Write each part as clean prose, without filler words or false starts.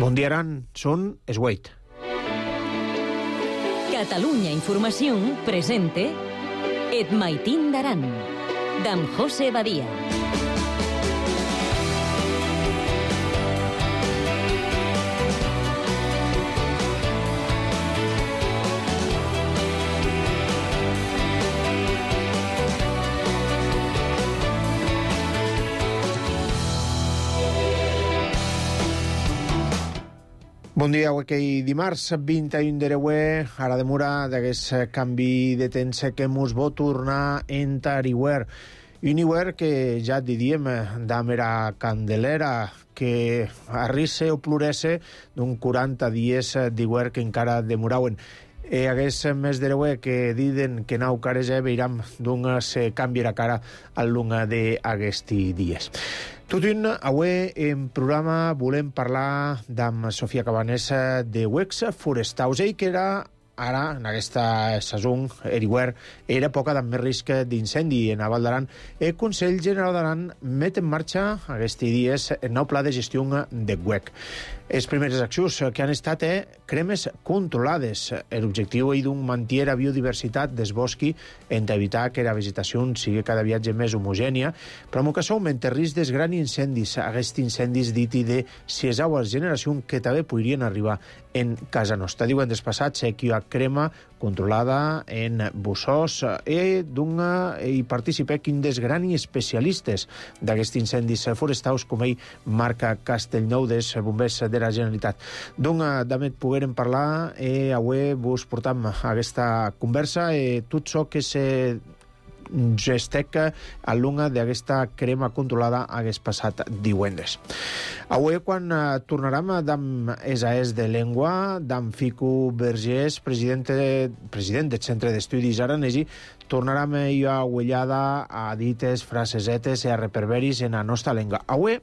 Bon dia, Aran. Són es 8. Catalunya Informació presente Et Maitín d'Aran, d'en José Badia. Bon dia, avui dimarts 21 d'Ereuer, ara demora d'aquest canvi de temps que mos va tornar entar Iwer. Un Iwer que ja diríem d'amera candelera, que arrisse o ploresse d'un 40 dies d'Iwer que encara demorauen. Hagués més d'Ereuer que diden que nau cares veiram d'un se canviarà cara al lunga d'aquesti dies. Tot un, avui en programa volem parlar d'amb Sofia Cabanessa de Wex Forestaus, que era ara, en aquesta saison, Eriwer, era època d'amb més risc d'incendi en Val d'Aran. El Consell General d'Aran met en marxa aquests dies el nou pla de gestió de WEC. Les primeres accions que han estat cremes controlades. L'objectiu és d'un mantenir la biodiversitat del bosc en evitar que la vegetació sigui cada viatge més homogènia, però en ocasió augmenta el risc dels grans incendis, aquests incendis dit i de siesaues generació que també podrien arribar en casa nostra. Diuen despassats que hi ha crema controlada en bussós i participen un dels grans especialistes d'aquests incendis forestals, com ell marca Castellnou dels bombers de la Generalitat. Donc, també poguérem parlar avui vos portam aquesta conversa tot això que se gesteca a l'unga d'aquesta crema controlada hagués passat divendres. Avui, quan tornarem d'amb ESAES de Llengua, d'amb Fico Vergés, president del Centre d'Estudis Aranesi, tornarem a uellada a dites, frasesetes i a reperberis en la nostra llengua. Avui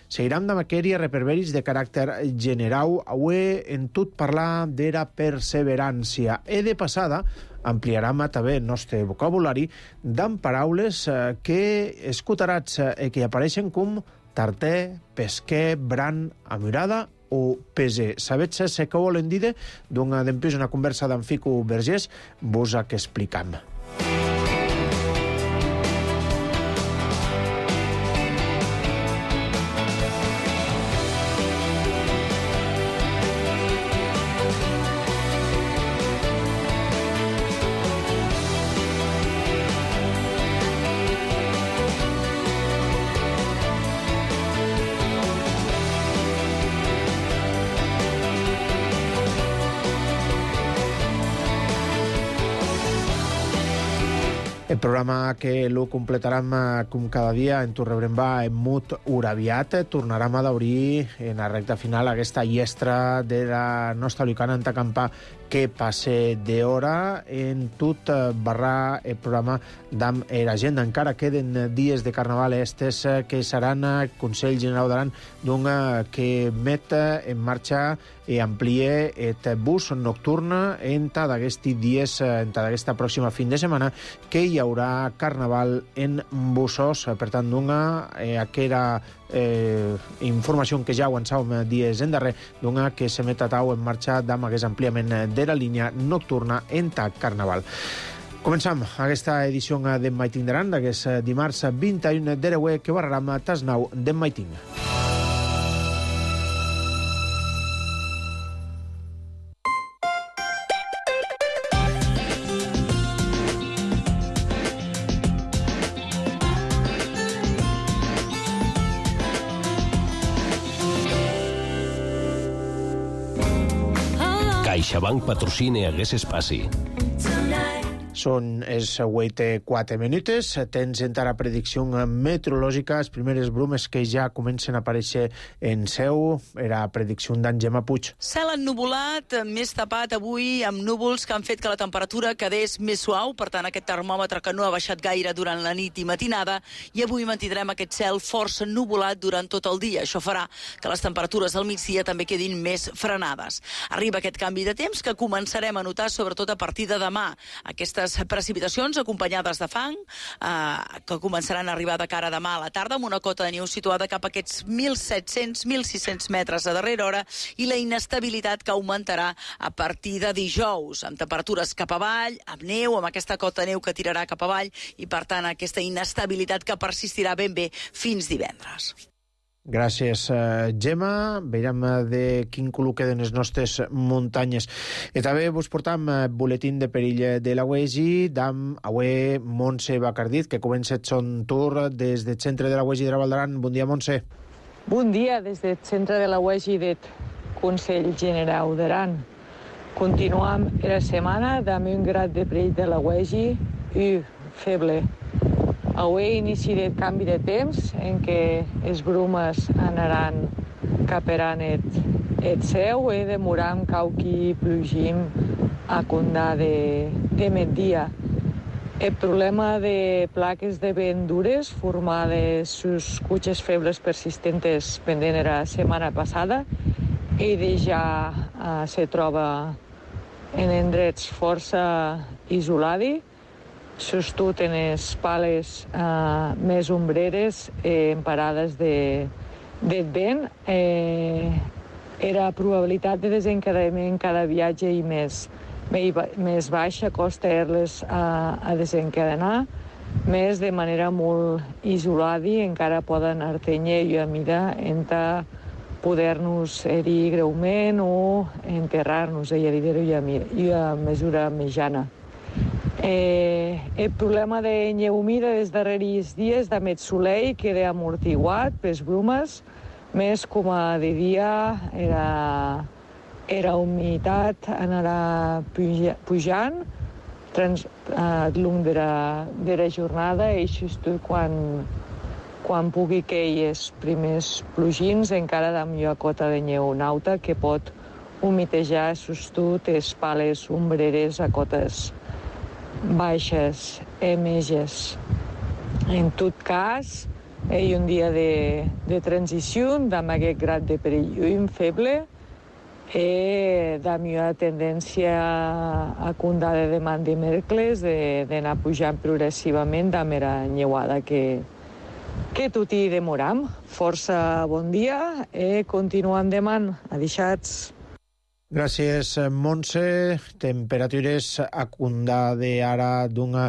seguirem de matèria reperberis de caràcter general. Avui en tot parlar de la perseverància. De passada ampliarem també el nostre vocabulari d'amb paraules que escutarats que apareixen com tarter, pesquer, bran, amurada o peser. Sabets què volen dir? Donc, després una conversa d'en Fico Vergés vos que explicam. El programa que lo completarem com cada dia en rebrem en mut uraviat. Tornarem a d'obrir en la recta final aquesta llestra de la nostra lucana en Tacampà que passe d'hora en tot barrar el programa d'amb l'agenda. Encara queden dies de carnaval estes que seran el Consell General d'Aran que met en marxa i amplie el bus nocturn entre d'aquests dies, entre d'aquesta pròxima fin de setmana, que hi haurà carnaval en bussos. Per tant, aquella informació que ja avançàvem dies en darrer, que se met a tau en marxa d'amb aquest ampliament de la línia nocturna entre carnaval. Començam aquesta edició d'en Maitín d'Aran, d'aquest dimarts 21 d'Ereuer, que barrarem tas nau d'en Maitín. CaixaBank patrocina aquest espai. Són els 8:04 minuts. Tens encara predicció meteorològica. Les primeres brumes que ja comencen a aparèixer en seu. Era predicció d'en Gemma Puig. Cel ennuvolat, més tapat avui, amb núvols que han fet que la temperatura quedés més suau. Per tant, aquest termòmetre que no ha baixat gaire durant la nit i matinada. I avui mantindrem aquest cel força ennuvolat durant tot el dia. Això farà que les temperatures al migdia també quedin més frenades. Arriba aquest canvi de temps que començarem a notar sobretot a partir de demà. Aquestes les precipitacions acompanyades de fang, que començaran a arribar de cara a demà a la tarda, amb una cota de neu situada cap a aquests 1.700-1.600 metres a darrera hora, i la inestabilitat que augmentarà a partir de dijous, amb temperatures cap avall, amb neu, amb aquesta cota de neu que tirarà cap avall, i per tant aquesta inestabilitat que persistirà ben bé fins divendres. Gràcies, Gemma. Veiem de quin color queden les nostres muntanyes. I també vos portam boletín de perill de la UEGI d'am avui Montse Bacardit, que comença el son tour des del centre de la UEGI de la Val d'Aran. Bon dia, Montse. Bon dia des del centre de la UEGI del Consell Generau d'Aran. Continuam la setmana amb un grad de perill de la UEGI i feble. Avui inici del canvi de temps en què les brumes anaran caperan el cel i demoram cauqui plugim a condar de migdia. El problema de plaques de vent dures formades sus cutxes febles persistentes pendent la setmana passada i ja se troba en indrets força isolats, sostut en les pales més ombreres en parades del vent. La probabilitat de desencadenament cada viatge i més baixa costa les a desencadenar, més de manera molt isolada i encara poden artenyer i a mida entre poder-nos herir greument o enterrar-nos i a mesura mitjana. El problema de neu humida dels darrers dies de més soleil queda amortiguat per les brumes, més com a de dia la humitat anarà pujant al llarg de la jornada i just quan pugui cair els primers plugins encara de millor cota de neu nauta que pot humitejar sostut les pales ombreres a cotes baixes, meges. En tot cas, hi ha un dia de transició amb aquest grad de perill feble i de millor tendència a condar de demà dimecres d'anar pujant progressivament amb la neuada que tot hi demoram. Força bon dia i continuem demà. Adixats. Gràcies, Montse. Temperatures a condar d'ara d'una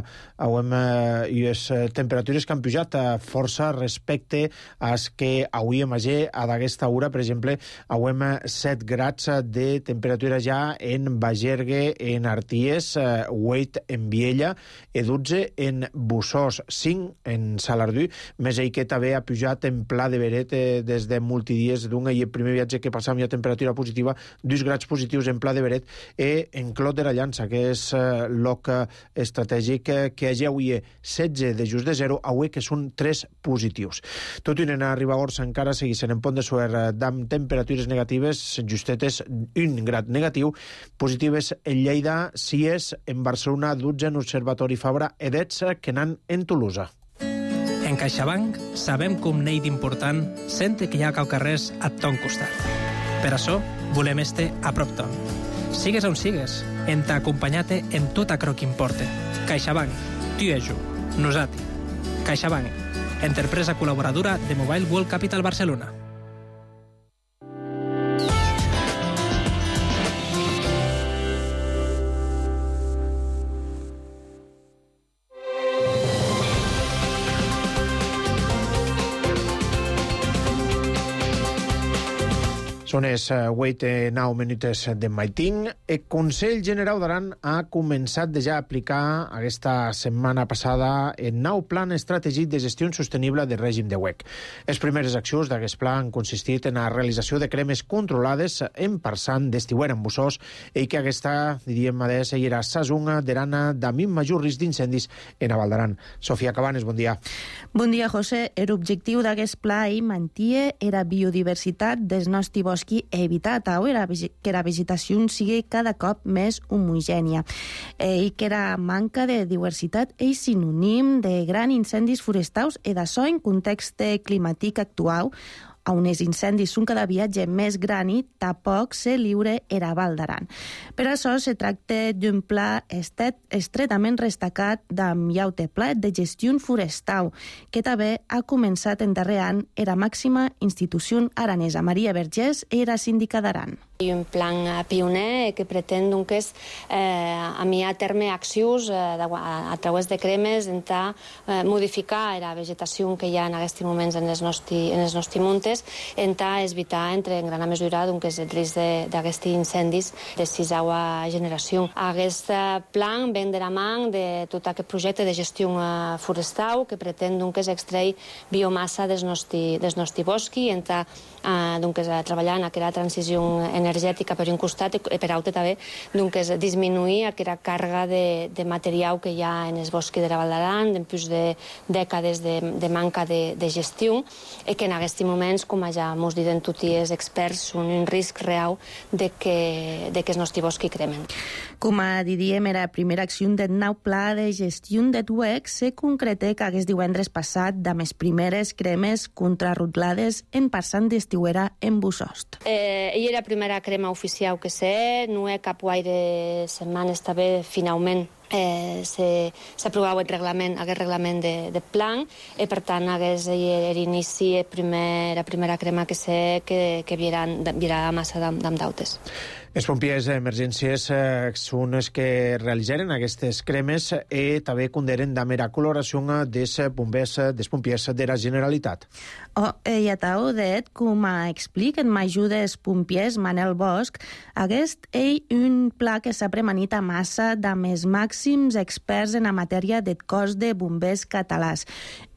i les temperatures que han pujat força respecte a les que avui imatge a d'aquesta hora. Per exemple, avui 7 grads de temperatura ja en Bagergue, en Arties, 8 en Viella i 12 en Bussós, 5 en Salardú, més ell que també ha pujat en Pla de Beret des de multidies d'una i el primer viatge que passam ja temperatura positiva, 2 grads positius en Pla de Beret i en Clot de la Llança, que és lloc estratègic que hi ha avui 16 de just de 0, avui que són 3 positius. Tot i anar a Ribagorç encara seguissin en Pont de Suert amb temperatures negatives, justetes 1 grad negatiu, positives en Lleida, Cies, en Barcelona, 12 en Observatori Fabra, i 10 que n'han en Tolosa. En CaixaBank sabem que un neix important sente que hi ha caucarrers a ton costat. Per això volem este a prop ton. Sigues on sigues, en t'acompanyate en tot aquello que importe. CaixaBank, tu i jo, nosati. CaixaBank, empresa col·laboradora de Mobile World Capital Barcelona. Són els 8-9 minuts de matin. El Consell Generau d'Aran ha començat ja a aplicar aquesta setmana passada el nou plan estratègic de gestió sostenible del règim de WEC. Les primeres accions d'aquest pla han consistit en la realització de cremes controlades en Parçant d'estiuer en Bussós i que aquesta, diríem, era Sazunga d'Arana d'amint major risc d'incendis en a Val d'Aran. Sofia Cabanes, bon dia. Bon dia, José. L'objectiu d'aquest pla i mantia era biodiversitat dels nostres boscs i evitar que la vegetació sigui cada cop més homogènia i que la manca de diversitat és sinònim de grans incendis forestals i d'això en context climàtic actual a uns incendis són cada viatge més gran i tampoc se lliure era Val d'Aran. Per això se tracta d'un pla estretament destacat d'am Iaute Pla de gestió forestal, que també ha començat en darrer any era màxima institució aranesa. Maria Vergés era síndica d'Aran. I un plan pioner que pretén doncs, enviar a terme accions a través de cremes intentar modificar la vegetació que hi ha en aquests moments en els nostres muntes, intentar evitar en gran mesura doncs, el risc d'aquests incendis de sisena generació. Aquest plan ven de la mà de tot aquest projecte de gestió forestal que pretén extreure biomassa dels nostres boscs i intentar treballar en aquesta transició energètica per un costat i per altre també disminuir aquesta càrrega de material que hi ha en els boscs de la Val d'Aran, després de dècades de manca de gestió, i que en aquests moments, com ja ens diuen tots els experts, són un risc real de que els nostres boscs cremen. Com a diríem, era la primera acció del nou pla de gestió de UEC se concreta que aquest divendres passat de les primeres cremes contrarrotlades en passant d'estiuera en Bussost. Ella era la primera crema oficial que sé, no hi ha cap gaire setmanes també finalment s'aprovava aquest reglament de plan i per tant l'inici la primera crema que sé que virà massa d'autes. Els pompiers d'emergències són els que realitzaren aquestes cremes i també conderen de mera coloració dels pompiers de la Generalitat. I a taudet, com explica en m'ajuda els pompiers Manel Bosch, aquest és un pla que s'ha premanit a massa de més màxims experts en la matèria del cos de bombers catalans.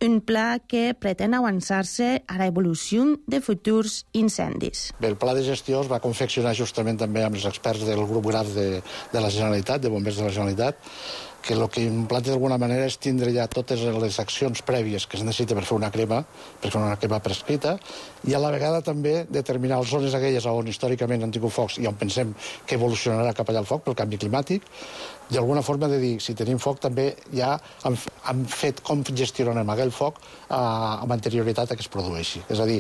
Un pla que pretén avançar-se a l'evolució de futurs incendis. Bé, el pla de gestió es va confeccionar justament també amb els experts del grup GRAF de la Generalitat, de bombers de la Generalitat, que el que implanta d'alguna manera és tindre ja totes les accions prèvies que es necessita per fer una crema prescrita, i a la vegada també determinar les zones aquelles on històricament han tingut focs i on pensem que evolucionarà cap allà el foc pel canvi climàtic, d'alguna forma de dir, si tenim foc també ja hem fet com gestionarem aquell foc amb anterioritat a que es produeixi. És a dir,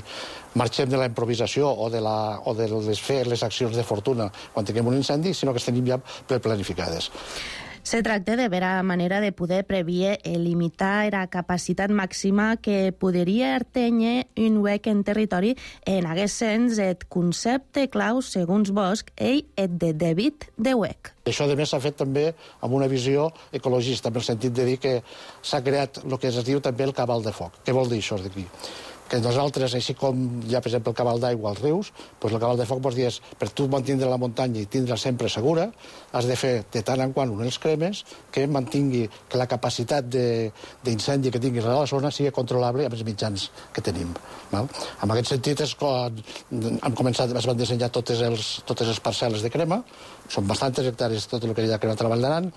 marxem de la improvisació o de fer les accions de fortuna quan tinguem un incendi, sinó que les tenim ja planificades. Se tracta de veure la manera de poder previer i limitar la capacitat màxima que podria atènyer un huec en territori. En aquest sens, el concepte clau, segons Bosch, és el de dèbit de huec. Això, a més, s'ha fet també amb una visió ecologista, en el sentit de dir que s'ha creat el que es diu també el cabal de foc. Què vol dir això d'aquí? Que nosaltres, així com hi ha, per exemple, el cabal d'aigua als rius, doncs el cabal de foc vols dir és, per tu mantindre la muntanya i tindre sempre segura, has de fer de tant en quant unes cremes que mantingui que la capacitat d'incendi que tinguis a la zona sigui controlable amb els mitjans que tenim. Val? En aquest sentit és quan es van dissenyar totes les parcel·les de crema, són bastantes hectàrees tot el que hi ha cremat a la Val d'Aran,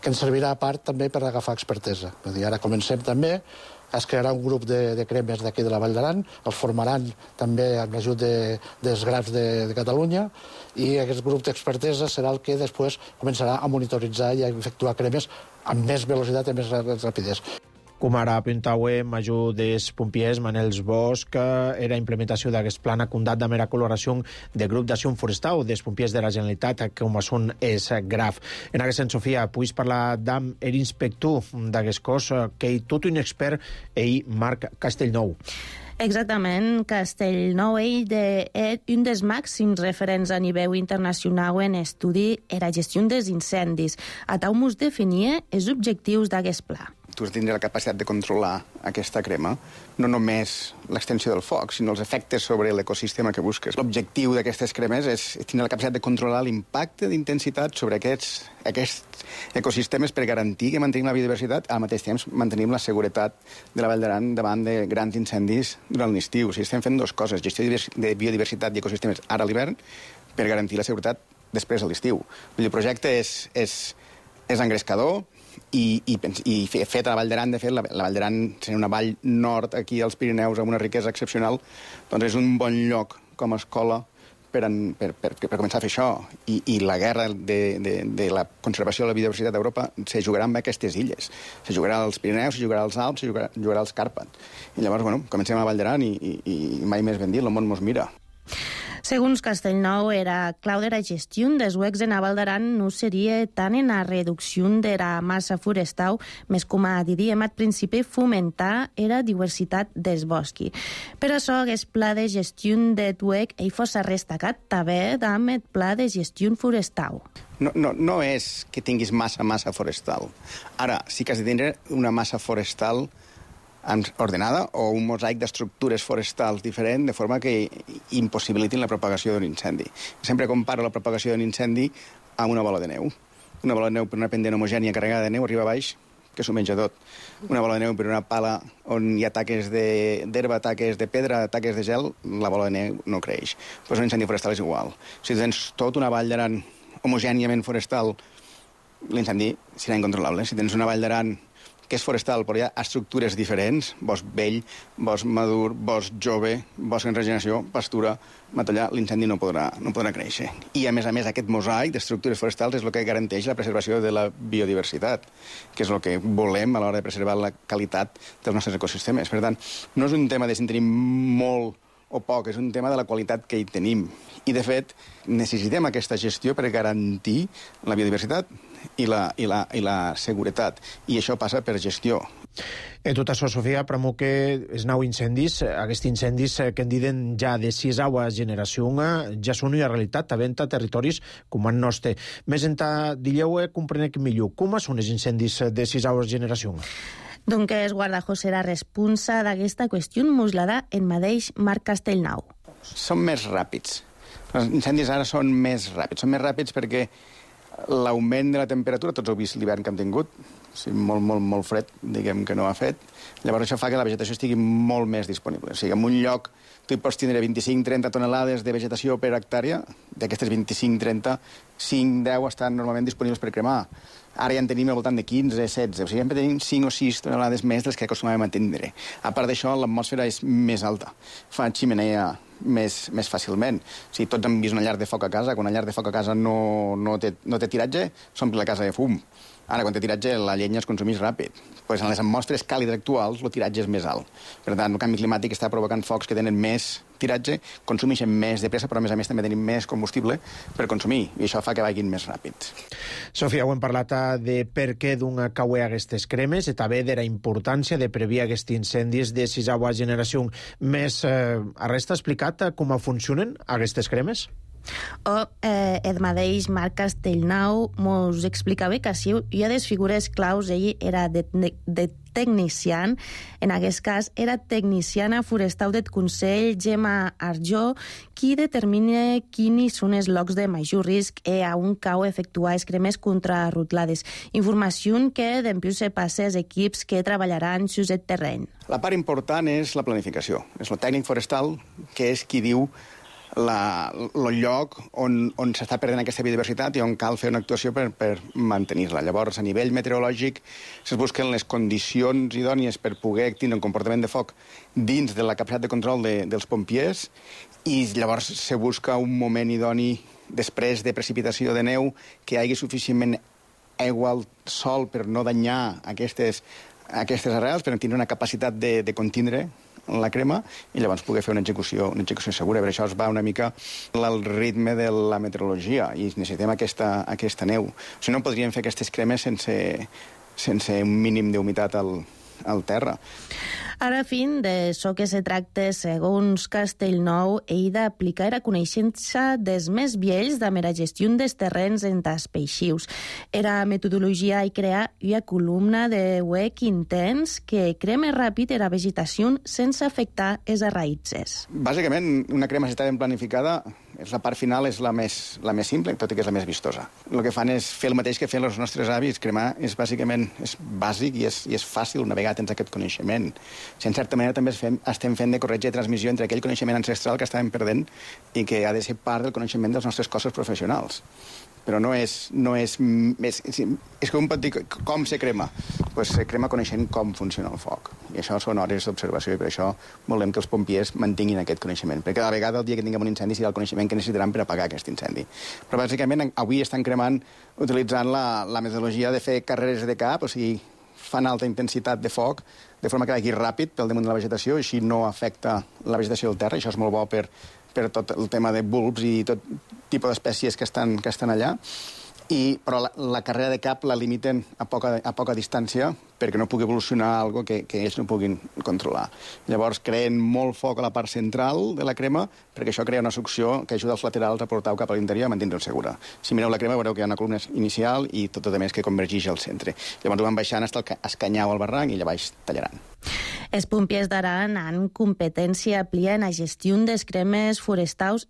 que ens servirà a part també per agafar expertesa. Ara comencem també, es crearà un grup de cremes d'aquí de la Vall d'Aran, els formaran també amb l'ajut dels GRAFs de Catalunya, i aquest grup d'expertesa serà el que després començarà a monitoritzar i a efectuar cremes amb més velocitat i més rapidesa. Com ara apuntava major dels pompiers, Manel Bosch, era implementació d'aquest plan acondat de mera coloració del grup d'acció forestal dels pompiers de la Generalitat, com són els GRAF. En aquest sentit, Sofia, puguis parlar amb l'inspector d'aquest cos, que és tot un expert, Marc Castellnou. Exactament, Castellnou és un dels màxims referents a nivell internacional en estudi i la gestió dels incendis. A tal mos definia els objectius d'aquest pla. Tu has de tindre la capacitat de controlar aquesta crema, no només l'extensió del foc, sinó els efectes sobre l'ecosistema que busques. L'objectiu d'aquestes cremes és tenir la capacitat de controlar l'impacte d'intensitat sobre aquests ecosistemes per garantir que mantenim la biodiversitat, al mateix temps mantenim la seguretat de la Vall d'Aran davant de grans incendis durant l'estiu. O sigui, estem fent dues coses, gestió de biodiversitat i ecosistemes ara a l'hivern per garantir la seguretat després a l'estiu. El projecte és engrescador, i fet a la Vall d'Aran, de fet, la Vall d'Aran sent una vall nord aquí als Pirineus amb una riquesa excepcional, doncs és un bon lloc com a escola per començar a fer això. I la guerra de la conservació de la biodiversitat d'Europa se jugarà amb aquestes illes. Se jugarà als Pirineus, se jugarà als Alps, se jugarà als Càrpats. I llavors, bueno, comencem a la Vall d'Aran i mai més ben dit, el món mos mira. Segons Castellnou, era clau de la gestió dels huecs en la Val d'Aran no seria tant en la reducció de la massa forestal, més com a diríem al principi fomentar la diversitat dels boscs. Per això, aquest pla de gestió del huec fos destacat també amb el pla de gestió forestal. No és que tinguis massa forestal. Ara, sí que has de tindre una massa forestal ordenada o un mosaic d'estructures forestals diferent, de forma que impossibilitin la propagació d'un incendi. Sempre comparo la propagació d'un incendi amb una bola de neu. Una bola de neu per una pendent homogènia carregada de neu arriba a baix, que s'ho menja tot. Una bola de neu per una pala on hi ha taques d'herba, taques de pedra, taques de gel, la bola de neu no creix. Pues un incendi forestal és igual. Si tens tota una vall d'Aran homogèniament forestal, l'incendi serà incontrolable. Si tens una vall d'Aran que és forestal, però hi ha estructures diferents, bosc vell, bosc madur, bosc jove, bosc en regeneració, pastura, matollar, l'incendi no podrà créixer. I, a més, aquest mosaic d'estructures forestals és el que garanteix la preservació de la biodiversitat, que és el que volem a l'hora de preservar la qualitat dels nostres ecosistemes. Per tant, no és un tema de si en tenim molt o poc, és un tema de la qualitat que hi tenim. I, de fet, necessitem aquesta gestió per garantir la biodiversitat i la seguretat. I això passa per gestió. I tot això, Sofia, premo que els nou incendis, aquests incendis que en diuen ja de 6 generació, ja són una realitat, també a territoris com el nostre. Més enllà, digueu, comprenec millor, com són els incendis de 6 generació? Donc és Guardajó serà responsa d'aquesta qüestió muslada en mateix Marc Castellnou. Són més ràpids. Els incendis ara són més ràpids. Són més ràpids perquè l'augment de la temperatura, tots heu vist l'hivern que hem tingut, molt fred, diguem que no ha fet. Llavors això fa que la vegetació estigui molt més disponible. O sigui, en un lloc tu hi pots tindre 25-30 tonelades de vegetació per hectàrea, d'aquestes 25-30, 5-10 estan normalment disponibles per cremar. Ara ja en tenim al voltant de 15-16, o sigui, sempre tenim 5 o 6 tonelades més dels que acostumàvem a tindre. A part d'això, l'atmosfera és més alta, fa ximenea més fàcilment. O sigui, tots hem vist una llar de foc a casa, quan una llar de foc a casa no té tiratge, s'omple la casa de fum. Ara, quan té tiratge, la llenya es consumeix ràpid. Pues en les atmosferes càlides actuals, el tiratge és més alt. Per tant, el canvi climàtic està provocant focs que tenen més tiratge, consumeixen més de pressa, però a més també tenim més combustible per consumir, i això fa que vagin més ràpids. Sofia, ho hem parlat de per què d'un cauer aquestes cremes i també de la importància de prevenir aquests incendis de 6a generació. Més, resta explicat com funcionen aquestes cremes? El mateix Marc Castellnou mos explicava que si hi ha des figures claus, ell era de tecnician, en aquest cas era tecniciana forestal del Consell, Gemma Arjó, qui determina quins són els llocs de major risc a on cau efectuar les cremes contrarrotlades. Informació que després se passa als equips que treballaran sus el terreny. La part important és la planificació. És el tècnic forestal que és qui diu el lloc on s'està perdent aquesta biodiversitat i on cal fer una actuació per mantenir-la. Llavors, a nivell meteorològic, es busquen les condicions idònies per poder tindre un comportament de foc dins de la capacitat de control dels pompiers i llavors se busca un moment idoni després de precipitació de neu que hi hagi suficientment aigua al sol per no danyar aquestes arrels, per tindre una capacitat de contindre la crema i llavors poder fer una execució segura. Per això es va una mica al ritme de la meteorologia i necessitem aquesta neu. O sigui, no podríem fer aquestes cremes sense un mínim d'humitat al terra. Ara, fin d'això que se tracta, segons Castellnou, ell d'aplicar la coneixença dels més vells de la gestió dels terrenys en els peixius. Era metodologia i crear una columna de huec intens que crema ràpid la vegetació sense afectar les raïtzes. Bàsicament, una crema si està ben planificada, la part final és la més simple, tot i que és la més vistosa. El que fan és fer el mateix que feien els nostres avis. Cremar és bàsic i és fàcil una vegada tens aquest coneixement. Si en certa manera també estem fent de corretge de transmissió entre aquell coneixement ancestral que estàvem perdent i que ha de ser part del coneixement dels nostres cossos professionals. però no és que un pot dir com se crema. Pues se crema coneixent com funciona el foc. I això són hores d'observació i per això volem que els pompiers mantinguin aquest coneixement. Perquè cada vegada el dia que tinguem un incendi serà el coneixement que necessitaran per apagar aquest incendi. Però bàsicament avui estan cremant utilitzant la metodologia de fer carreres de cap, o sigui, fan alta intensitat de foc, de forma que vagi ràpid pel damunt de la vegetació, i així no afecta la vegetació del terra. Això és molt bo per tot el tema de bulbs i tot tipus d'espècies que estan allà. Però la carrera de cap la limiten a poca distància perquè no pugui evolucionar alguna cosa que ells no puguin controlar. Llavors creen molt foc a la part central de la crema perquè això crea una succió que ajuda els laterals a portar-ho cap a l'interior i a mantenir-ho segura. Si mireu la crema veureu que hi ha una columna inicial i tot a més que convergeix al centre. Llavors ho van baixant fins que es canyau al barranc i allà baix tallaran. Els pompiers d'Aran han competència plia en la gestió dels cremes forestals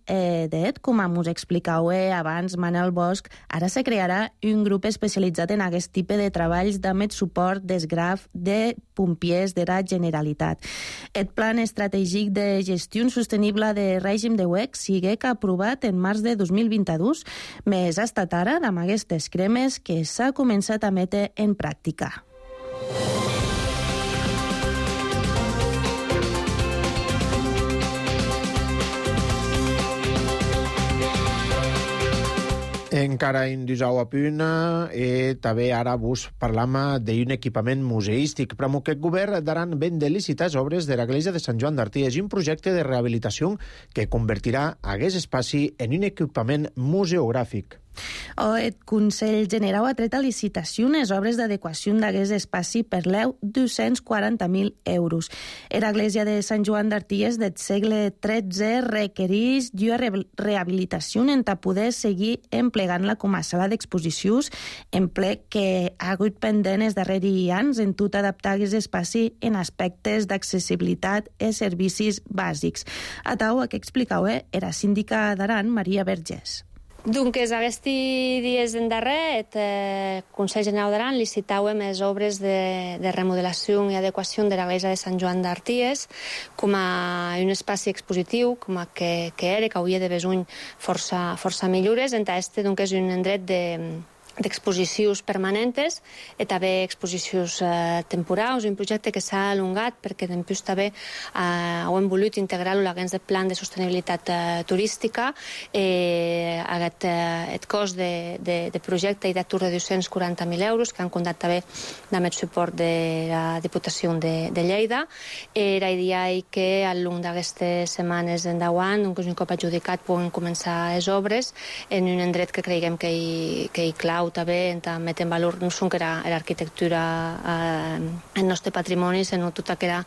com us explicau abans Manel Bosch. Ara se crearà un grup especialitzat en aquest tipus de treballs amb el suport des graf de pompiers de la Generalitat. El plan estratègic de gestió sostenible de règim de UEC sigue que aprovat en març de 2022, més ha estat ara amb aquestes cremes que s'ha començat a metre en pràctica. Encara en disau a punt, també ara vos parlam d'un equipament museístic. Però aquest govern daran ben de licitar les obres de l'església de Sant Joan d'Artí. És un projecte de rehabilitació que convertirà aquest espai en un equipament museogràfic. El Consell Generau ha tret a licitació unes obres d'adequació d'aquest espai per l'eu 240.000 euros. L'església de Sant Joan d'Artí del segle XIII requereix una rehabilitació en poder seguir emplegant-la com a sala d'exposicions, emplec que ha hagut pendent els darrers anys en tot adaptar aquest espai en aspectes d'accessibilitat i servicis bàsics. A tau, que explicau era síndica d'Aran, Maria Vergés. Doncs aquests dies en darrer, el Consell Generau d'Aran licitàvem les obres de remodelació i adequació de l'església de Sant Joan d'Arties com a un espai expositiu, com a que era, que hauria de besuny força millores. Este és un endret d'exposicions permanentes i també exposicions temporals, un projecte que s'ha alongat perquè després també hem volut integrar-lo a l'agència de plan de sostenibilitat turística. El cost de projecte i d'atur de 240.000 euros que han comptat també amb el suport de la Diputació de Lleida. Era idea que al llarg d'aquestes setmanes endavant, un cop adjudicat, puguin començar les obres en un endret que creiem que hi clau també en metre en valor no són que era l'arquitectura el nostre patrimoni, sinó tota aquella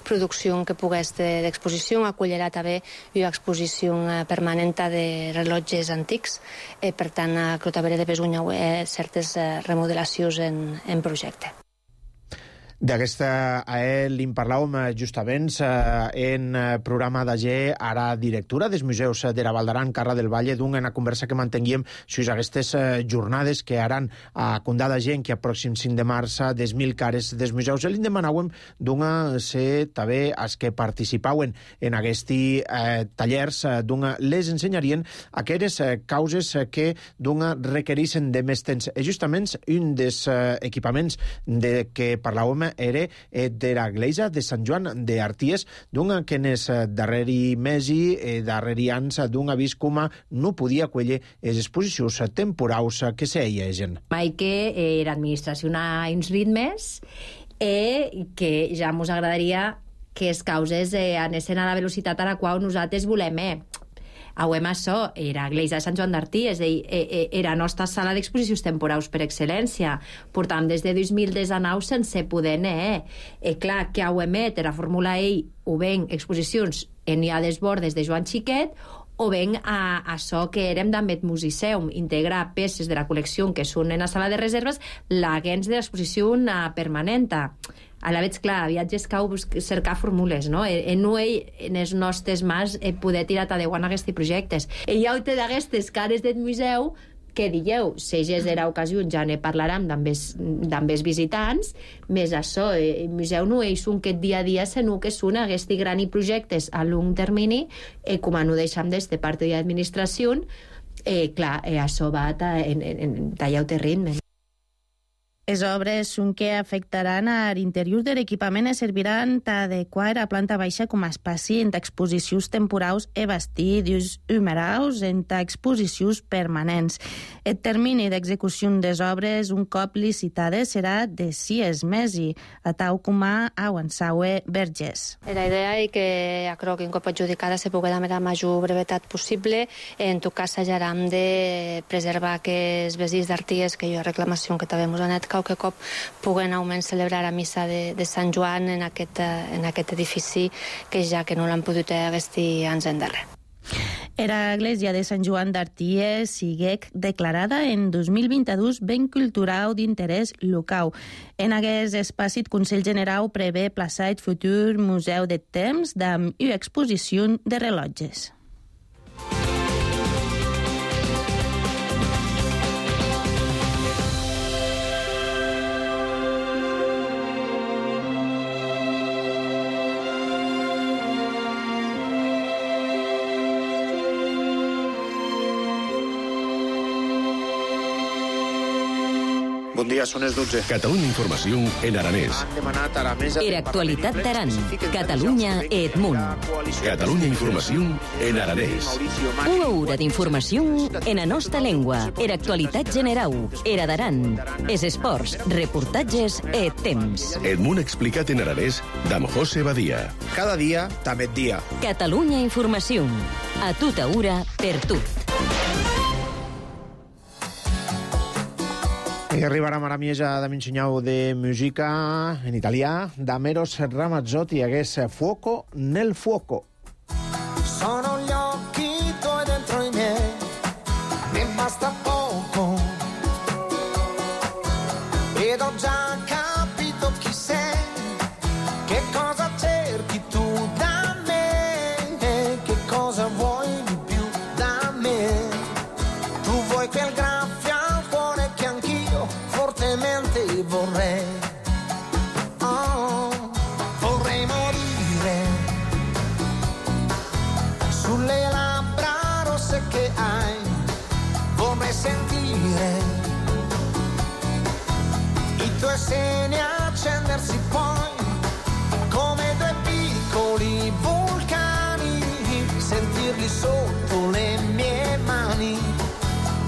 producció que pogués d'exposició. Acollirà també una exposició permanent de rellotges antics, per tant, que també de besunya certes remodelacions en projecte. D'aquesta li'n parlàvem justament en programa d'AG, ara directora dels museus de la Val d'Aran, Carra del Valle, d'una conversa que mantenguíem sobre aquestes jornades que aran a Condà d'Agent, que a pròxim 5 de març des 1.000 cares dels museus. Li'n demanàvem d'una ser també els que participaven en aquests tallers, d'una les ensenyarien aquelles causes que d'una requereixen de més temps. És justament un dels equipaments de què parlàvem era de l'església de Sant Joan d'Arties, d'un que en els darreri mesi, darreri anys, d'un avís com no podia acollir les exposicions temporals que s'eiegen. Mai que l'administració ha uns ritmes que ja ens agradaria que les causes anessin a la velocitat a la qual nosaltres volem. Auem això, era l'església de Sant Joan d'Artí, és a dir, era la nostra sala d'exposicions temporals per excel·lència. Portam des de 2019 sense poder anar. Clar, que auem la Fórmula E o ben exposicions en hi ha desbordes de Joan Xiquet, o ben a això que érem d'Ambet Musiceum, integrar peces de la col·lecció que són en la sala de reserves, l'agents de l'exposició permanent. A la veig, clar, viatges cau cercar fórmules, no? No en els nostres mans poder tirar endavant aquests projectes. Hi ha d'aquestes cares del museu que dieu, si és de l'ocasió, ja ne parlarem amb els visitants, més això, el museu no és un que dia a dia, sinó que són aquests grans projectes a long termini, com no deixem de part de l'administració, clar, això va en tallar el ritme. Les obres són que afectaran a l'interior de l'equipament i serviran d'adequar a planta baixa com a espaci en exposicions temporals i vestir d'ús humeraus en exposicions permanents. El termini d'execució des obres, un cop licitades, serà de 6 mesos, a tal com ha avançat Vergés. La idea és que crec que un cop adjudicada se pugui dar la major brevetat possible. En tot cas, s'hajarem de preservar aquests vestits d'arties que hi ha reclamació que també ens han anat que cop puguen almenys celebrar la missa de Sant Joan en aquest edifici que ja que no l'han pogut vestir ans endarrere. Era l'església de Sant Joan d'Arties siguec declarada en 2022 ben cultural d'interès local. En aquest espaci, el Consell General prevé plaçar el futur Museu de Temps amb una exposició de rellotges. Bon dia, són les 12. Catalunya Informació en aranès. Era actualitat d'Aran. Catalunya et Munt. Catalunya Informació en aranès. Una hora d'informació en la nostra llengua. Era actualitat general. Era d'Aran. Es esports, reportatges et temps. Et Munt explicat en aranès d'Am José Badia. Cada dia, també et dia. Catalunya Informació. A tota hora, per tot. I arribarà a Maramieja de m'ensenyau de música en italià d'Ameros Ramazzotti, hagués Fuoco nel fuoco. Sono gli occhi tuoi dentro i miei, ne basta poco. Ed ho già capito chi sei, che cosa cerchi tu da me, che cosa vuoi di più da me. Tu vuoi quel graffio al cuore che anch'io fortemente vorrei. Oh, vorrei morire sulle labbra rosse che hai, vorrei sentire i tuoi seni accendersi poi come due piccoli vulcani, sentirli sotto le mie mani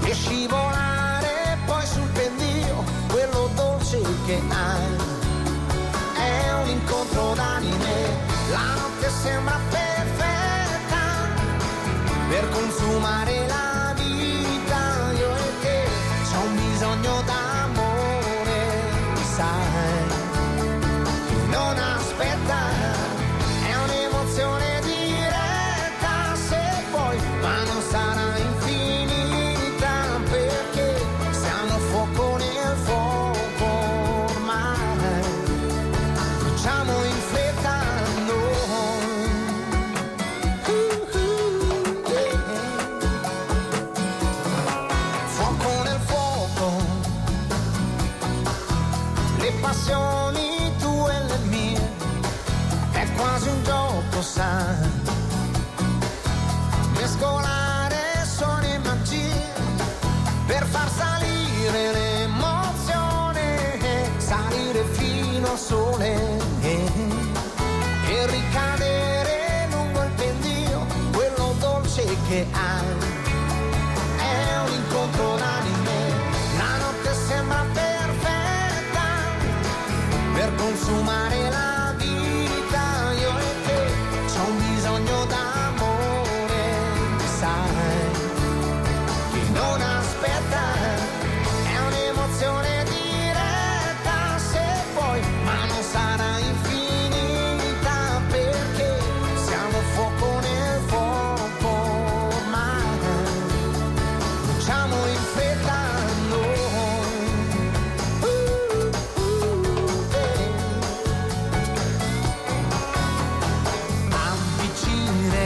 e scivolare poi sul pendio, quello dolce che hai. È un incontro d'anime, la notte sembra perfetta per consumare la vita, io e te, c'ho un bisogno d'amore, sai, non aspetta, è un'emozione diretta, se vuoi, ma non sarà infinita, perché siamo fuoco nel fuoco ormai, facciamo in fretta noi. Fuoco nel fuoco, le passioni tue e le mie, è quasi un gioco, sai, mescolare suoni e magie per far salire l'emozione, salire fino al sole e ricadere lungo il pendio, quello dolce che hai. È un incontro d'anime, la notte sembra perfetta per consumare la vita, io e te, c'ho un bisogno d'amore, sai, che non aspetta, è un'emozione diretta, se vuoi, ma non sarà infinita, perché siamo fuoco nel fuoco ormai, facciamo in fretta noi. Avvicina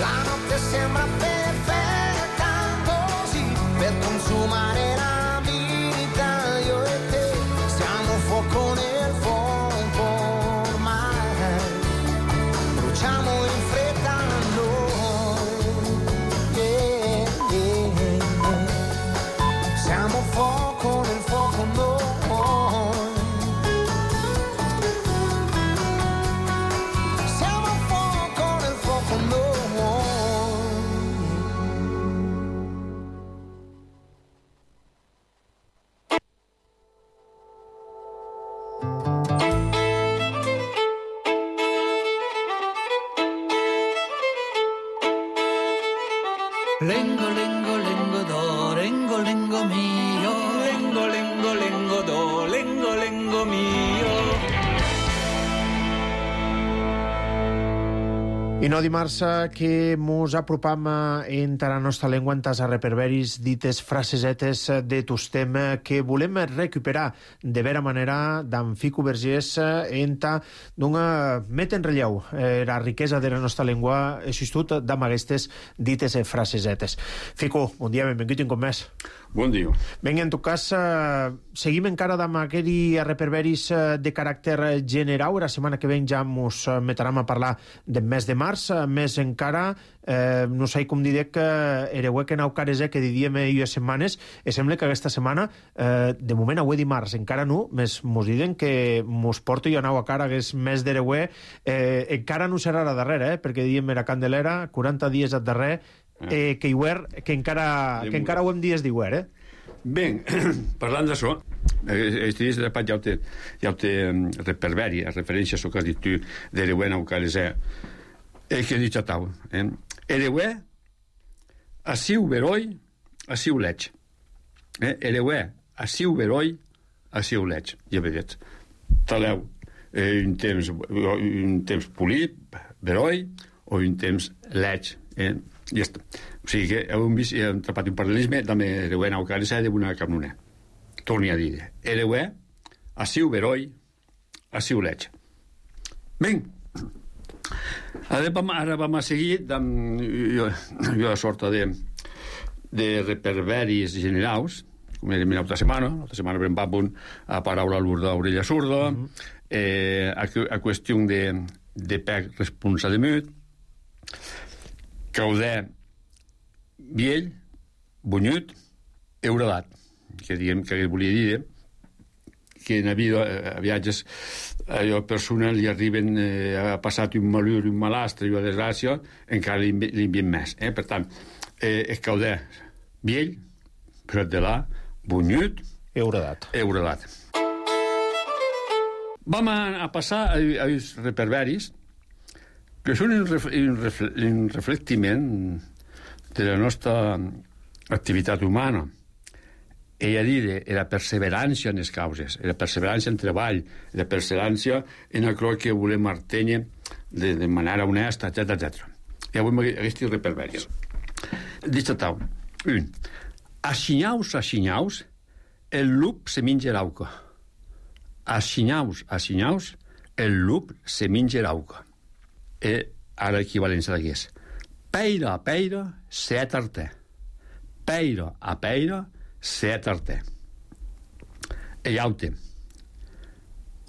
La notte sembra perfetta così per consumare la vita, io e te siamo fuoco nel fuoco ormai, bruciamo in fretta noi, siamo fuoco nel fuoco noi. Lengo, lengo, lengo do, lengo, lengo mio. Lengo, lengo, lengo do, lengo, lengo mio. I no dimarts que mos apropam entre la nostra llengua en tas a reperberis dites frasesetes de tostem que volem recuperar de vera manera d'en Fico Vergés enta d'una met en relleu la riquesa de la nostra llengua assistut d'am aquestes dites frasesetes. Fico, bon dia, benvingut un cop més. Bon dia. Ben, en tot cas, seguim encara d'am aquells reperberis de caràcter general. La setmana que ven ja mos metrem a parlar del mes de març, més encara, no sé com diré que ereu que nau cares que didíem ues setmanes, i sembla que aquesta setmana, de moment avui dimarts, encara no, més mos diuen que mos porto jo nau a cara que és mes d'ereuer, encara no serà la darrera, perquè diem era Candelera, 40 dies al darrer, que encara ho hem dies d'Iuer, Ben, parlant d'això, aquests dies de pat ja ho té reperberi, a referència a això que has dit tu d'ereuer nau cares que he dit a tau. Ereuer, assiu veroi, assiu leig. Ereuer, assiu veroi, assiu leig. Ja vedet. Taleu un temps polit, veroi, o un temps leig. Ja està. O sigui que heu vist, hem atrapat un paral·lelisme també ereuer nau cares d'una camnona. Torni a dir. Ereuer, assiu veroi, assiu leig. Ben, ara vam a seguir jo la sorta de reperberis generals, com era l'altra setmana vam a paraula l'urda orella surda, a qüestió de pec responsa de mut, cauder viell, bunyut, euradat, que diguem que volia dir que en a viatges allò personal li arriben ha passat un malur, un malastre i una desgràcia, encara li envien més. Per tant, és cauder viell, però de la bunyut, euradat. Vam a passar a uns reperberis que són un reflectiment de la nostra activitat humana. Ella dir la perseverança en les causes, la perseverança en treball, la perseverança en allò que volem artenye de manera honesta, etc. I avui aquests reperberis. Dit a tau. Aixinyaus, el lup se menja l'auca. Aixinyaus, el lup se menja l'auca. I ara l'equivalència d'aquest. Peira a peira, set arter. Peira a peira, set arter. E aute.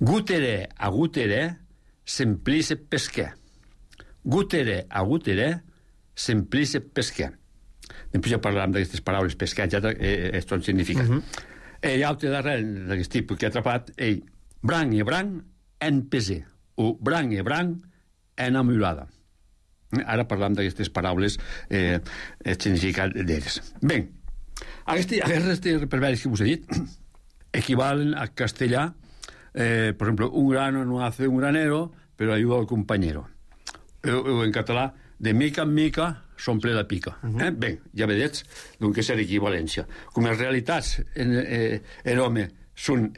Guterè a guterè, semplice pesquer. Guterè a guterè, semplice pesquer. Després ja parlarem d'aquestes paraules pesquer, etc. Tot significa. E aute darrere d'aquest tipus que ha atrapat, branc i branc en pesé, o branc i branc en amulada. Ara parlam d'aquestes paraules significat d'elles. Bé, aquests reperberis que us he dit equivalen a castellà, per exemple, un grano no hace un granero, però ayuda al compañero. O en català, de mica en mica s'omple la pica. Bé, ja vedets doncs és l'equivalència. Com les realitats en l'home són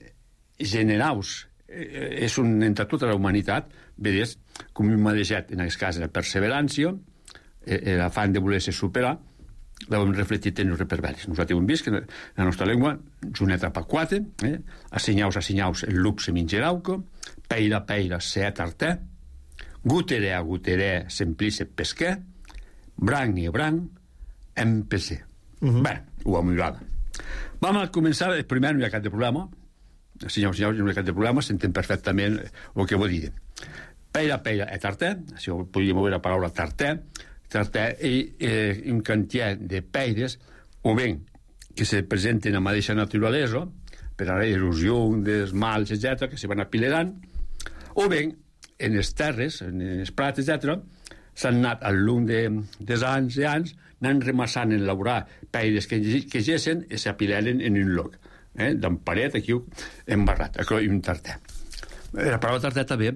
generals, és entre tota la humanitat, vedets, com m'ha deixat en aquest cas la perseverància, l'afany de voler-se superar, l'hem reflectit en els reperberis. Nosaltres hem vist que la nostra llengua és una etapa 4, assinyaus, el lup se menja l'auca, peira, se atartè, guterè a guterè, semplice pesquer, Branc i branc, empecé. Bé, ho hem mirat. Vam a començar, primer no hi ha cap de problema, senyors, no hi ha cap de problema, s'entén perfectament el que vol dir. Peira e tartè, si podríem moure la paraula tartè és un quantitat de peires, o bé que se presenten a mateixa naturalesa, per a l'erosió dels mals, etc., que se van apilerant, o bé en les terres, en els prats, etc., s'han anat al llarg dels anys i anys anant remassant en elaborar peires que gessen i s'apileren en un lloc. D'en paret, aquí embarrat, aquí un tartè. La paraula tartè també,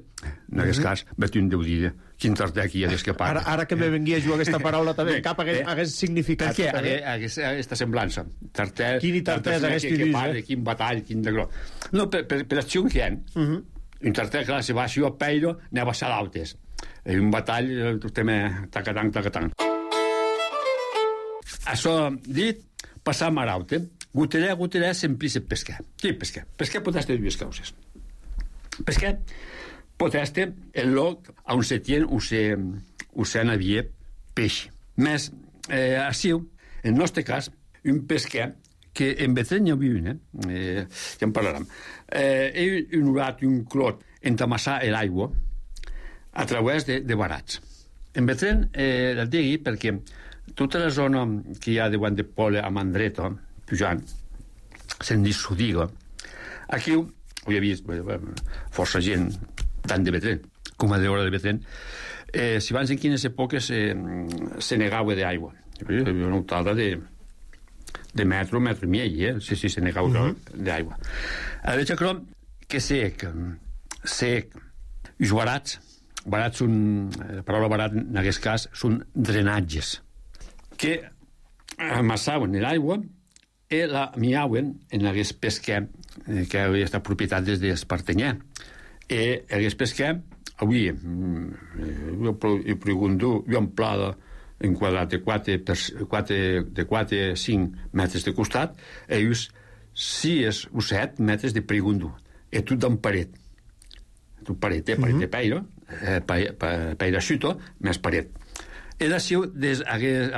en aquest cas, vaig un deu dir quin tartè aquí ha d'escapar. Ara que me venguia a jugar aquesta paraula també, cap hagués significat. Per què aquesta semblança? Tartè, quin tartè hagués dit, quin batall, quin de gros. No, per acció que hi ha. Un tartè, clar, si va així a peiro, anava a salautes. I un batall, també, tacatang. Això dit, passam a raute. Guterè, semplice pescar. Què pescar? Pescar pot estar dues causes. Pescar pot estar el lloc on se tien o se n'havia peix. Més, així, en el nostre cas, un pescar que en Betreny hi havia una, ja en parlarem, un urat i un clot entamassar l'aigua a través de barats. En Betreny la digui perquè tota la zona que hi ha de Guant de Pole a Mandreta, pujant, se'n diu Sudiga. Aquí ho he vist força gent, tant de Betreny com a d'hora de Betreny. Si abans en quines èpoques se negava d'aigua. Hi havia una altada de metro i mig, si se negava d'aigua. Ara veig que sec, els barats són, la paraula barat en aquest cas, són drenatges que amassaven l'aigua i la miauen en aquest pesquer que havia estat propietat des d'Espartenyà. I aquest pesquer avui he preguntat un pla en quadrat de 4-5 metres de costat i 6 o 7 metres de pregundu i tot d'en paret paret de peiro peira xuto més paret. I d'ací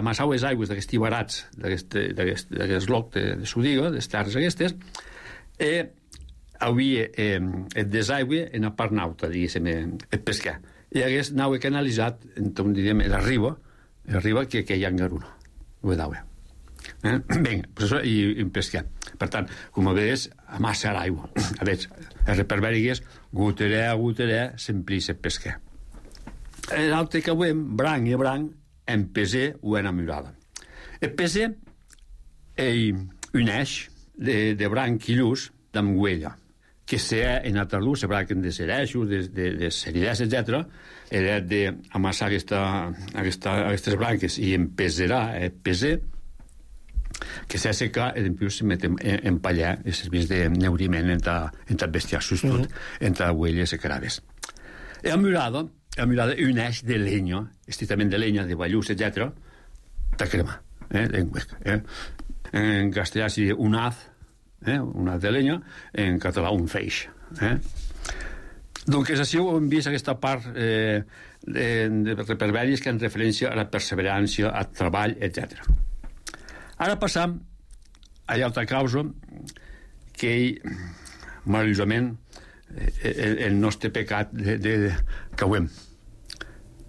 amassau les aigües d'aquests barats d'aquest loc de Sudiga, de les terres aquestes, i havia el desaigüe en la part nauta, diguéssim, el pescar. I hagués anava canalitzat, diríem, la riba que hi ha en Garuna, ho he d'aigua. Bé, això i un pescar. Per tant, com veies, amassa l'aigua. A veure, el reperberi és guterè, semplice pescar. L'altre que veiem, branc i branc, en pesé o en amurada. El pesé és un eix de branc i llus d'amguella, que sea en altra luz, se branquen de cereixos, de ceridès, etc. Era d'amassar aquestes branques i empesarà el pesé, que s'ha secat i després se met en pallar i serveix de neuriment entre bestiar sustut, entre agüelles i caraves. Amurada un eix de leña, estrictament de leña, de ballús, etc., de crema, en huec. En castellà s'hi diu un haz de leña, en català un feix. Doncs així hem vist aquesta part de reperberis que en referència a la perseverància, al treball, etc. Ara passam a l'altra causa que meravellosament el nostre pecat que ho hem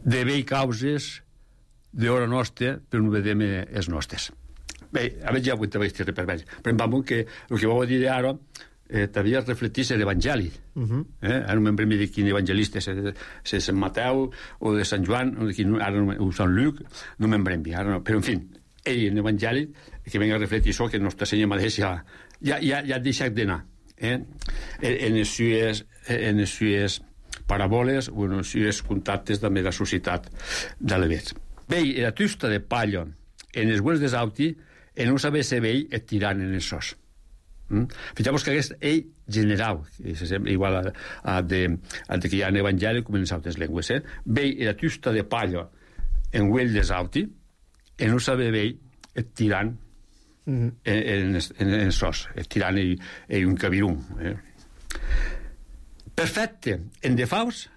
de bé causes d'hora nostra però no vedem els nostres. Bé, a veure ja avui t'havia dit reperberis, però em va que el que vau dir ara t'havia reflectit l'Evangeli. Ara no me'n premi de quin evangelista, de Sant Mateu o de Sant Joan o Sant Lluc, no me'n premi, però en fi, ell en l'Evangeli que venga a reflectir això que Nostre Senyor mateix ja ha deixat d'anar en les sues paràboles o en els seus contactes també de la societat de l'Evets. Bé, la tusta de palla en els bues d'Esauti i no saber ser vell et tirant en els sos. Fixeu-vos que aquest ell general, que sembla igual al que hi ha en l'Evangeli com en les altres llengües. Bé, la tusta de palla en bues d'Esauti i no saber vell et tirant en els sos, et tirant en un cabirún. Perfecte en defectes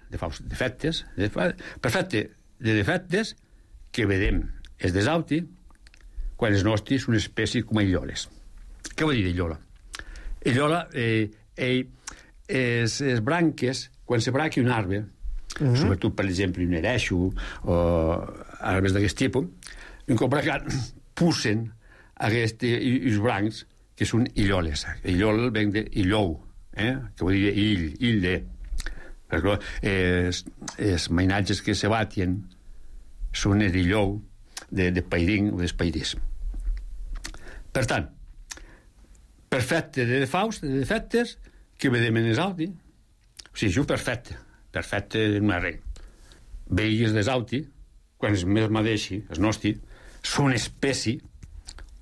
que vedem és desauti, quan els nostres són espècies com a illoles. Què vol dir illola? Illola, les branques, quan se branqui un arbre, sobretot, per exemple, un ereixo o arbres d'aquest tipus, un cop brancat, pusen aquests brancs que són illoles. Illol ven d'illou, que vol dir ill de... Perquè els mainatges que se batien són d'illou, de pairing o d'espairís. Per tant, perfecte de defectes que vedem en esauti, o sigui, això perfecte no és res. Veigues desauti, quan es més madeixi, els nostres, són espècie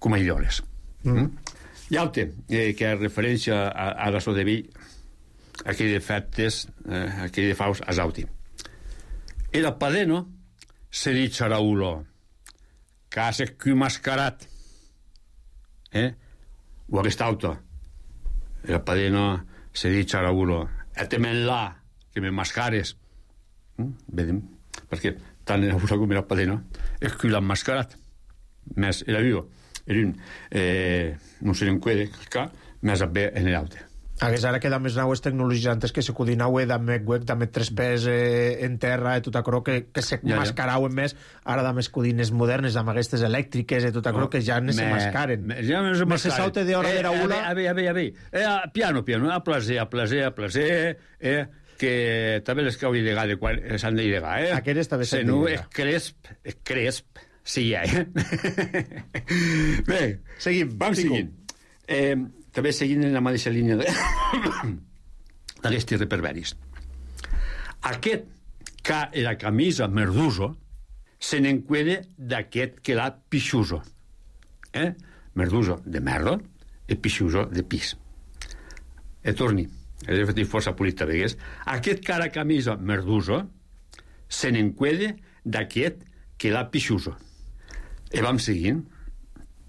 com a illoles. Hi ha altre, que és referència a la so de vi, aquells defectes, aquells defaus a sauti. Era padeno, se dice Raulo, case qui mascarat, o aquest auto, era padeno, se dice Raulo, temen là, que me mascares. Vedem, perquè tant era Raulo com era padeno, és qui l'ha mascarat. Més era viu, era un, no se n'enquede, més a bé en l'auto. Hagués ara que dames naues tecnologies antes que se codinaue damet web, damet tres pes en terra i tot aquello que se mascarauen més, ara dames codines modernes, amb aquestes elèctriques i tot aquello que ja no se mascaren. Ja no se mascaren. No se saute d'hora de Raula. A veure. Piano, a placer, que també les que hauria de gade quan s'han de llegar, Aquestes també s'han de llegar. És cresp, sí, Bé, vam seguint. També seguint en la mateixa línia d'aquestes reperberis. Aquest que era camisa merduso se n'enquede d'aquest que l'ha pixuso. Merduso de merdo i pixuso de pis. E torni, he fet força polita vegues. Aquest que era camisa merduso se n'enquede d'aquest que l'ha pixuso. E vam seguint.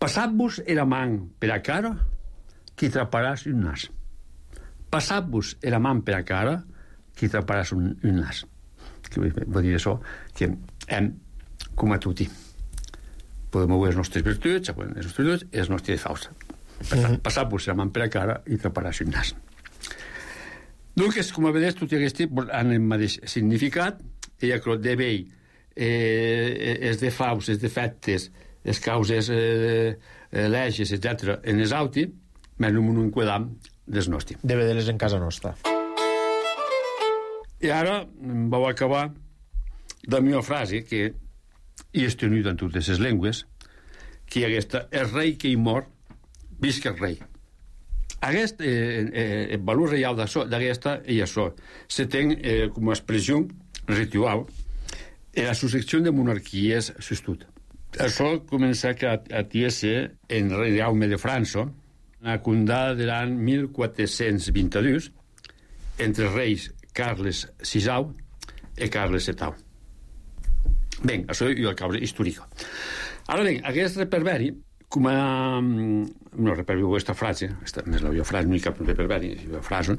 Passat-vos era man per a cara qui traparàs un nas. Passat-vos era man per a cara qui traparàs un nas. Que vol dir això que hem, com a tutti, podem veure les nostres virtuts, els nostres defaus. Per tant, passat-vos era man per a cara i traparàs un nas. Donc, com a vedes, tot aquest han el mateix significat, i que de vell els defaus, els defectes, les causes leges, etc., en els auti, més no m'ho enquedam des nostres. De vedeles en casa nostra. I ara vau acabar de la meva frase, que hi és tenut en totes les llengües, que aquesta, el rei que hi mor, visca el rei. Aquest, el valor reial d'aquesta és això. Se ten com a expressió ritual en la successió de monarquies s'estut. Això comença a tiese en rei Jaume de França, la condada de l'any 1422, entre els reis Carles VI i Carles VII. Bé, això és la causa històrica. Ara bé, aquest reperberi, com a... No, reperberi, aquesta frase, més la frase, no hi cap reperberi, la frase,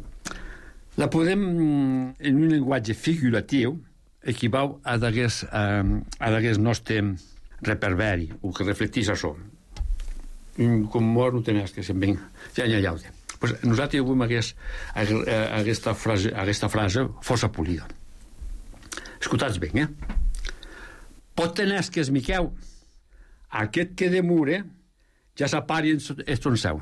la podem, en un llenguatge figuratiu, equival a d'aquest nostre reperberi, o que reflectís això. Com mort no tenies que se'n ven ja pues nosaltres avui aquesta frase força polida. Escoltats bé, pot tenir que es miqueu aquest que demure ja s'apari en son seu.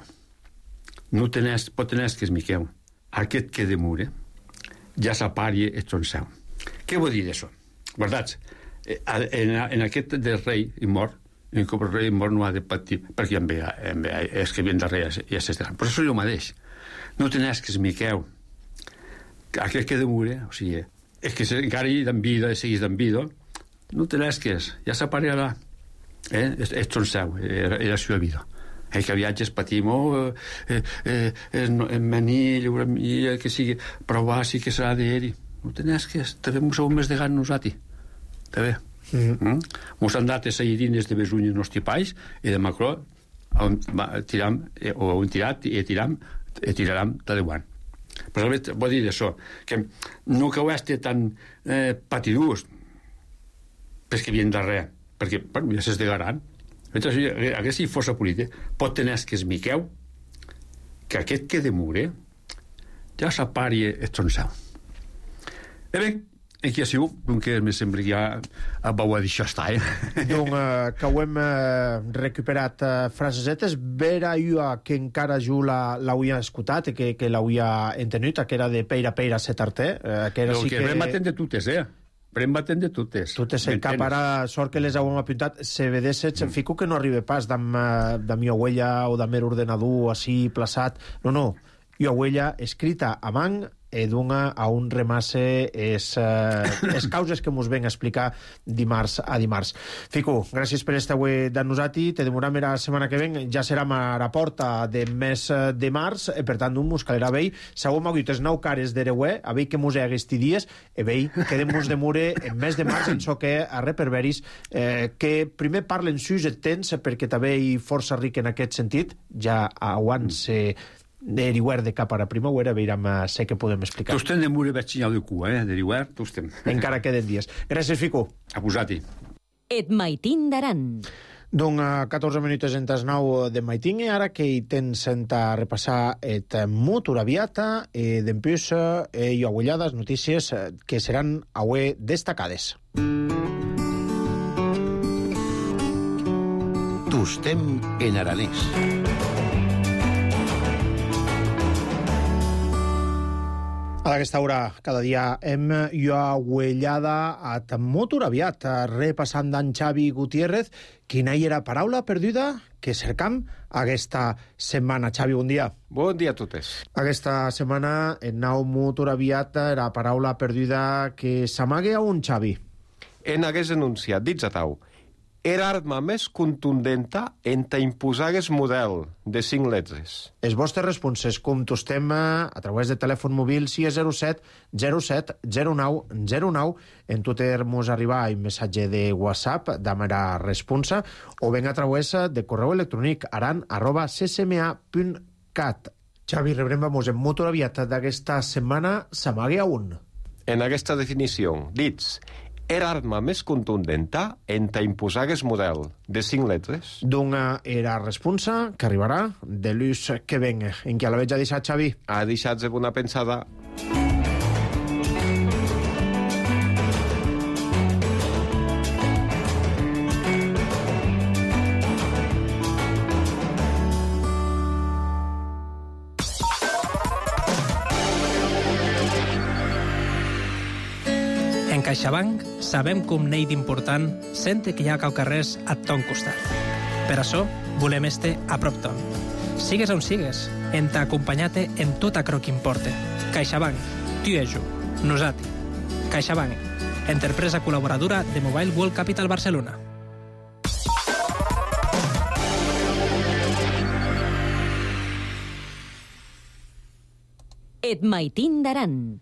No tenés, pot tenir que es miqueu aquest que demure ja s'apari en son seu. Què vol dir d'això? Guardats, en aquest del rei i mort, en com el rei mort no ha de patir, perquè és que viene darrere i és estaran. Però això és el mateix. No tenés que es miqueu aquest que demure, o sigui, és que encara hi d'en vida, seguís d'en vida, no tenés que es, ja s'aparegarà. És son seu, és la seva vida. Que viatges patim, en manilla, que sigui, provar si que serà d'ell. No tenés que es, també m'ho sabem més de gan nosaltres. També. Mos han dat a saïdines de besunyes nostre país i de Macró tiram, o han tirat i tiraram de Déu. Però vol dir això, que no que ho estigui tan patidús, però que vien darrere. perquè, bueno, ja s'és de Garan. Aquesta força política pot tenir que es miqueu que aquest que de mure ja s'apari estronçau. Bé, aquí ha sigut, que me sembla que ja vau a dir això està, Donc, que ho hem recuperat frasesetes, vera ua que encara jo l'auia escoltat, que l'auia entenut, que era de peira setarté, que era sí que... Però maten de totes, Pren batent de totes. Totes en cap, ara, sort que les heu apuntat, se vedesset, fico que no arriba pas de mi huella o de mer ordenador, així, plaçat. No, i huella escrita a man, dona a un remasse es causes que mos ven a explicar dimarts a dimarts. Fico, gràcies per estar avui d'annosati, te demoram la setmana que ven, ja serà a la porta de mes de març, per tant, mos calerà vei, segur m'ha dit 9 cares d'ereuer, a vei que mos aquests dies, vei, quedem-nos de mure en mes de març, en so que a reperveris, que primer parlen sus et tens, perquè també hi força ric en aquest sentit, ja abans d'Eriuer de cap a la primavera, veiram sé que podem explicar. Tostem de mure veig senyal de cua, d'Eriuer, tostem. Encara queden dies. Gràcies, Fico. A posar-hi. Et maitin d'aran. Donc, 14 minuts en tas 9 de maitin, ara que hi tens a repassar et motor aviata, d'empús i agullades notícies que seran avui destacades. Tostem en aranès. A aquesta hora, cada dia, hem aguellada a motor aviat, repassant d'en Xavi Gutiérrez, quina hi era paraula perduda que cercam aquesta setmana. Xavi, bon dia. Bon dia a totes. Aquesta setmana, en nou motor aviat, era paraula perduda que s'amague a un, Xavi. En hagués enunciat, dits a tau, era arma més contundenta en ta imposagues model de 5 letres. Els vostres responses, com tostem a través de telèfon mòbil 607 07 09 09, en Twitter mos arriba un missatge de WhatsApp d'ama la responsa, o ben a través de correu electrònic aran@ccma.cat. Xavi, rebrem en motor aviat d'aquesta setmana s'amague a un. En aquesta definició, dits, era arma més contundenta en ta imposagues model de 5 letres. D'una era responsa que arribarà de l'ús que ven. En què la veig a deixar, Xavi? Ha deixat de bona pensada. En CaixaBank sabem com n'hi d'important sente que hi ha caucarrers a ton costat. Per això volem este a prop ton. Sigues on sigues, en t'acompanyate en tot aquello que importe. CaixaBank, tu i jo, nosati. CaixaBank, empresa col·laboradora de Mobile World Capital Barcelona. Et maitin d'aran,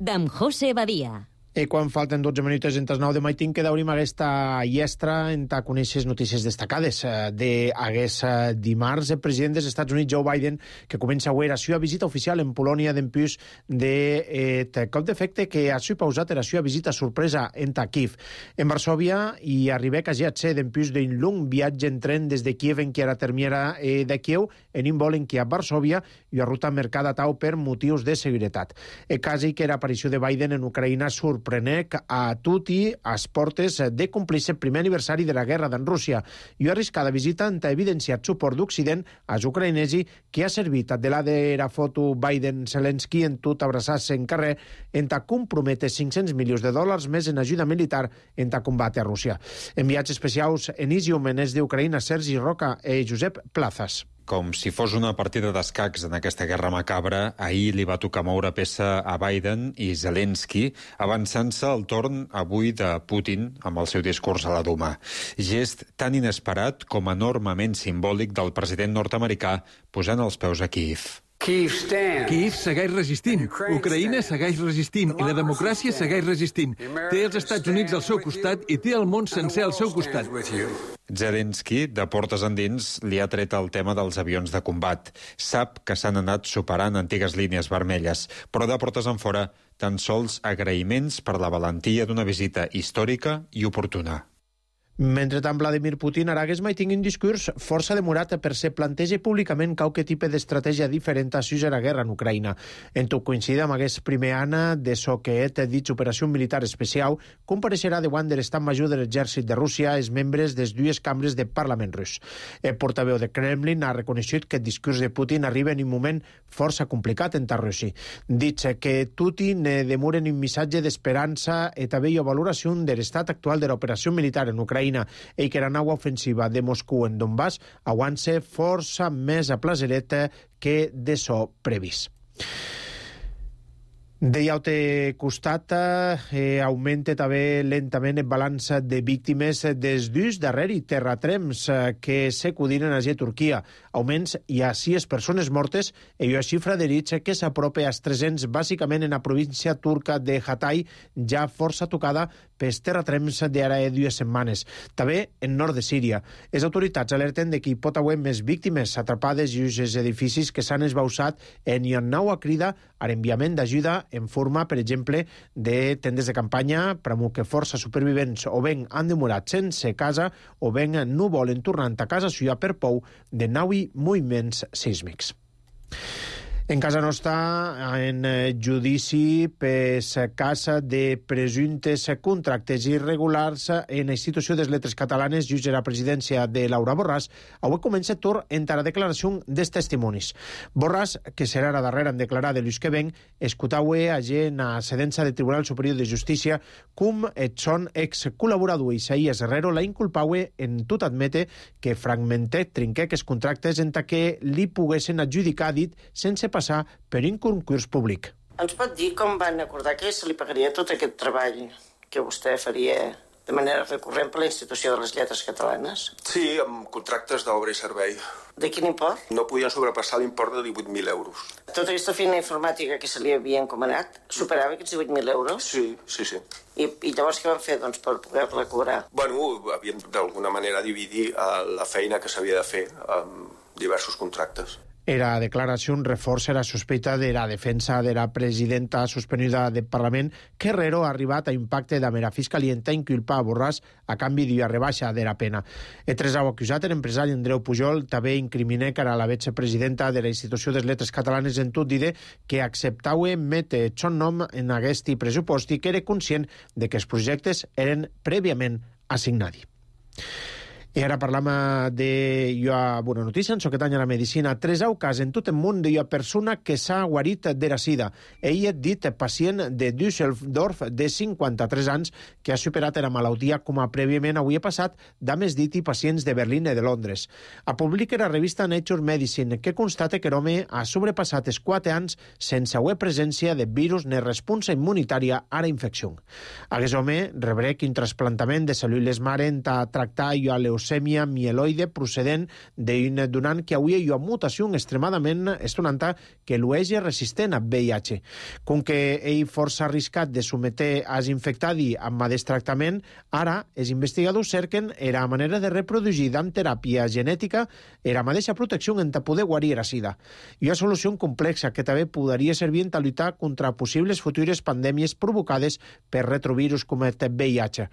d'en José Badia. I quan falten 12 minuts en tas 9 de maitin, que daurim aquesta llestra en ta conèixer notícies destacades d'aguest dimarts. El president dels Estats Units, Joe Biden, que comença avui la seva visita oficial en Polònia d'empús de cop d'efecte que ha pausat la seva visita sorpresa en Kiev. En Varsòvia hi arriba quasi a ser d'empús d'un long viatge en tren des de Kiev en què ara termiera de Kiev en un vol en què a Varsòvia i a ruta mercada tau per motius de seguretat. Quasi que l'aparició de Biden en Ucraïna sorprenec a tutti as portes de complir el primer aniversari de la guerra d'en Rússia i una arriscada visita en evidenciat suport d'Occident als ucraïnesi que ha servit de la de la foto Biden-Zelensky en tot abraçar-se en carrer en comprometre $500 milions més en ajuda militar en combat a Rússia. Enviats especials en Isium en est d'Ucraïna, Sergi Roca i Josep Plazas. Com si fos una partida d'escacs en aquesta guerra macabra, ahir li va tocar moure peça a Biden i Zelensky, avançant-se al torn avui de Putin amb el seu discurs a la Duma. Gest tan inesperat com enormement simbòlic del president nord-americà posant els peus a Kiev. Kiev segueix resistint, Ucraïna segueix resistint i la democràcia segueix resistint. Té els Estats Units al seu costat i té el món sencer al seu costat. Zelensky, de portes endins, li ha tret el tema dels avions de combat. Sap que s'han anat superant antigues línies vermelles, però de portes enfora tan sols agraïments per la valentia d'una visita històrica i oportuna. Mentrestant, Vladimir Putin aragués mai tingui un discurs força demorat per se planteja públicament qualque tipus d'estratègia diferent a la guerra en Ucraïna. En tot coincida amb aquest primer any de so que ha dit operació militar especial, compareixerà davant de l'estat major de l'exèrcit de Rússia els membres de les dues cambres de Parlament rus. El portaveu de Kremlin ha reconegut que el discurs de Putin arriba en un moment força complicat en Rússia. Dit que Putin demora un missatge d'esperança i també una valoració de l'estat actual de l'operació militar en Ucraïna i que la nau ofensiva de Moscou en Donbass aguanta força més a placereta que de so previst. D'altre altre costat, augmenta també lentament el balanç de víctimes dels dos darrers terratrems que s'acudiren a Turquia. Augments hi ha 6 persones mortes i una xifra d'herits que s'apropa als 300, bàsicament en la província turca de Hatay, ja força tocada pels terratrems d'ara 2 setmanes. També en nord de Síria. Les autoritats alerten de que hi pot haver més víctimes atrapades i els edificis que s'han esbausat en una nova crida a l'enviament d'ajuda en forma, per exemple, de tendes de campanya per a que força supervivents o ben han demorat sense casa o ben no volen tornar a casa seva per por de nous moviments sísmics. En casa nostra, en judici per cas de presumptes contractes irregulars en la institució de les lletres catalanes, jutge la presidència de Laura Borràs, avui comença torn entre la declaració dels testimonis. Borràs, que serà la darrera en declarar de l'ús que ven, escutau en la sedència del Tribunal Superior de Justícia com et son ex-col·laborador Isaías Herrero la inculpau en tot admete que fragmentet trinquec els contractes en què li poguessin adjudicar dit sense passar per un concurs públic. Ens pot dir com van acordar que se li pagaria tot aquest treball que vostè faria de manera recurrent per la institució de les lletres catalanes? Sí, amb contractes d'obra i servei. De quin import? No podien sobrepassar l'import de 18.000 euros. Tota aquesta feina informàtica que se li havia encomanat superava aquests 18.000 euros? Sí. I llavors què van fer per poder-la cobrar? Bueno, havíem d'alguna manera dividir la feina que s'havia de fer amb diversos contractes. Era declaració reforça la sospita de la defensa de la presidenta suspenuda del Parlament que Herrero ha arribat a impacte de la Fiscalia en inculpar a Borràs a canvi d'una rebaixa de la pena. El tresau acusat, l'empresari Andreu Pujol, també incrimina que era la vicepresidenta de la institució de les lletres catalanes en tot dir que acceptau mete son nom en aquest pressupost i que era conscient de que els projectes eren prèviament assignats. I ara parlam d'una bona notícia, en soquetany a la medicina. 3 cas en tot el món d'una persona que s'ha guarit de la sida. Ell és dit pacient de Düsseldorf de 53 anys que ha superat la malaltia com a prèviament avui passat d'homes dit i pacients de Berlín i de Londres. A publica la revista Nature Medicine que constata que l'home ha sobrepassat els 4 anys sense haver presència de virus ni responsa immunitària a la infecció. Aquest home rebrec un trasplantament de cèl·lules mare en tractar a leucèmia mieloide procedent d'un donant que avui hi ha una mutació extremadament estonanta que l'eix resistent a VIH. Com que ell força arriscat de someter als infectats amb aquest tractament, ara els investigadors cerquen la manera de reproduir amb teràpia genètica la mateixa protecció en poder guarir la sida. I una solució complexa que també podria servir en lluitar contra possibles futures pandèmies provocades per retrovirus com el VIH.